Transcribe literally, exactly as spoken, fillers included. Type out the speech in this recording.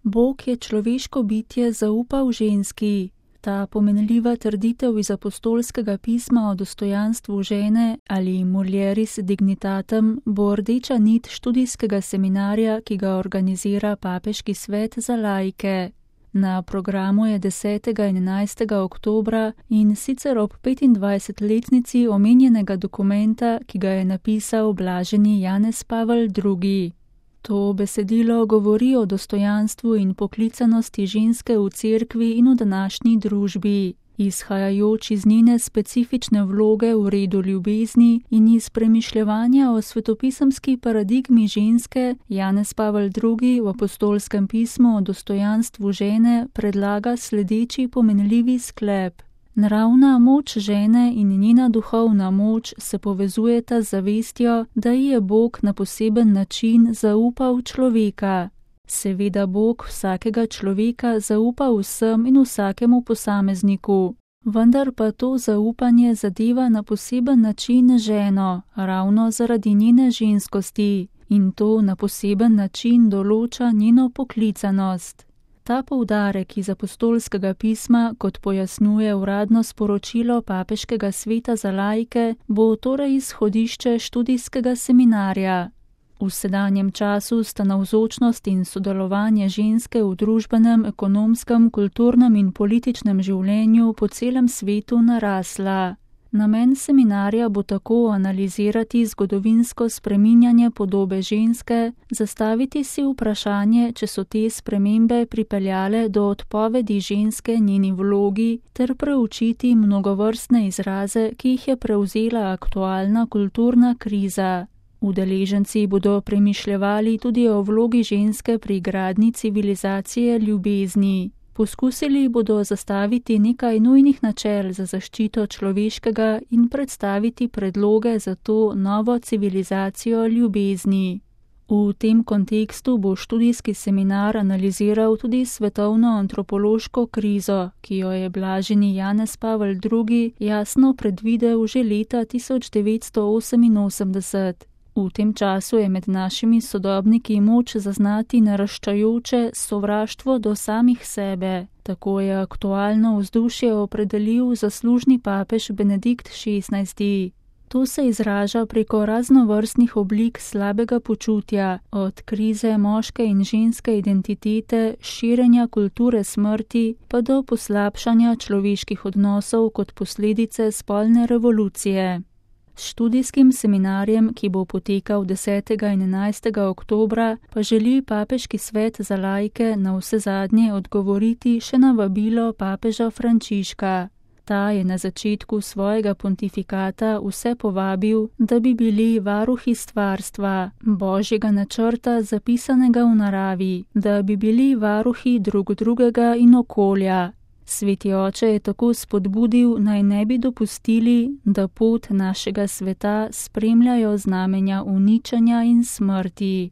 Bog je človeško bitje zaupal ženski. Ta pomenljiva trditev iz apostolskega pisma o dostojanstvu žene ali mulieris dignitatem bo rdeča nit študijskega seminarja, ki ga organizira Papeški svet za laike. Na programu je desetega in enajstega oktobra in sicer ob petindvajsetletnici omenjenega dokumenta, ki ga je napisal blaženi Janez Pavel drugi. To besedilo govori o dostojanstvu in poklicanosti ženske v cerkvi in v današnji družbi, izhajajoč iz njene specifične vloge v redu ljubezni in iz premišljevanja o svetopisemski paradigmi ženske. Janez Pavel drugi v apostolskem pismu o dostojanstvu žene predlaga sledeči pomenljivi sklep. Naravna moč žene in njena duhovna moč se povezujeta z zavestjo, da ji je Bog na poseben način zaupal človeka. Seveda Bog vsakega človeka zaupa vsem in vsakemu posamezniku, vendar pa to zaupanje zadeva na poseben način ženo, ravno zaradi njene ženskosti, in to na poseben način določa njeno poklicanost. Ta poudarek iz apostolskega pisma, kot pojasnjuje uradno sporočilo Papeškega sveta za laike, bo torej izhodišče študijskega seminarja. V sedanjem času sta navzočnost in sodelovanje ženske v družbenem, ekonomskem, kulturnem in političnem življenju po celem svetu narasla. Namen seminarja bo tako analizirati zgodovinsko spreminjanje podobe ženske, zastaviti si vprašanje, če so te spremembe pripeljale do odpovedi ženske njeni vlogi, ter preučiti mnogovrstne izraze, ki jih je prevzela aktualna kulturna kriza. Udeleženci bodo premišljevali tudi o vlogi ženske pri gradnji civilizacije ljubezni. Poskusili bodo zastaviti nekaj nujnih načel za zaščito človeškega in predstaviti predloge za to novo civilizacijo ljubezni. V tem kontekstu bo študijski seminar analiziral tudi svetovno antropološko krizo, ki jo je blaženi Janez Pavel drugi jasno predvidel že leta tisoč devetsto oseminosemdeset. V tem času je med našimi sodobniki moč zaznati naraščajoče sovraštvo do samih sebe. Tako je aktualno vzdušje opredelil zaslužni papež Benedikt šestnajsti. To se izraža preko raznovrstnih oblik slabega počutja, od krize moške in ženske identitete, širjenja kulture smrti, pa do poslabšanja človeških odnosov kot posledice spolne revolucije. S študijskim seminarjem, ki bo potekal desetega in enajstega oktobra, pa želi Papeški svet za laike navsezadnje odgovoriti še na vabilo papeža Frančiška. Ta je na začetku svojega pontifikata vse povabil, da bi bili varuhi stvarstva, božjega načrta zapisanega v naravi, da bi bili varuhi drug drugega in okolja. Sveti oče je tako spodbudil, naj ne bi dopustili, da pot našega sveta spremljajo znamenja uničenja in smrti.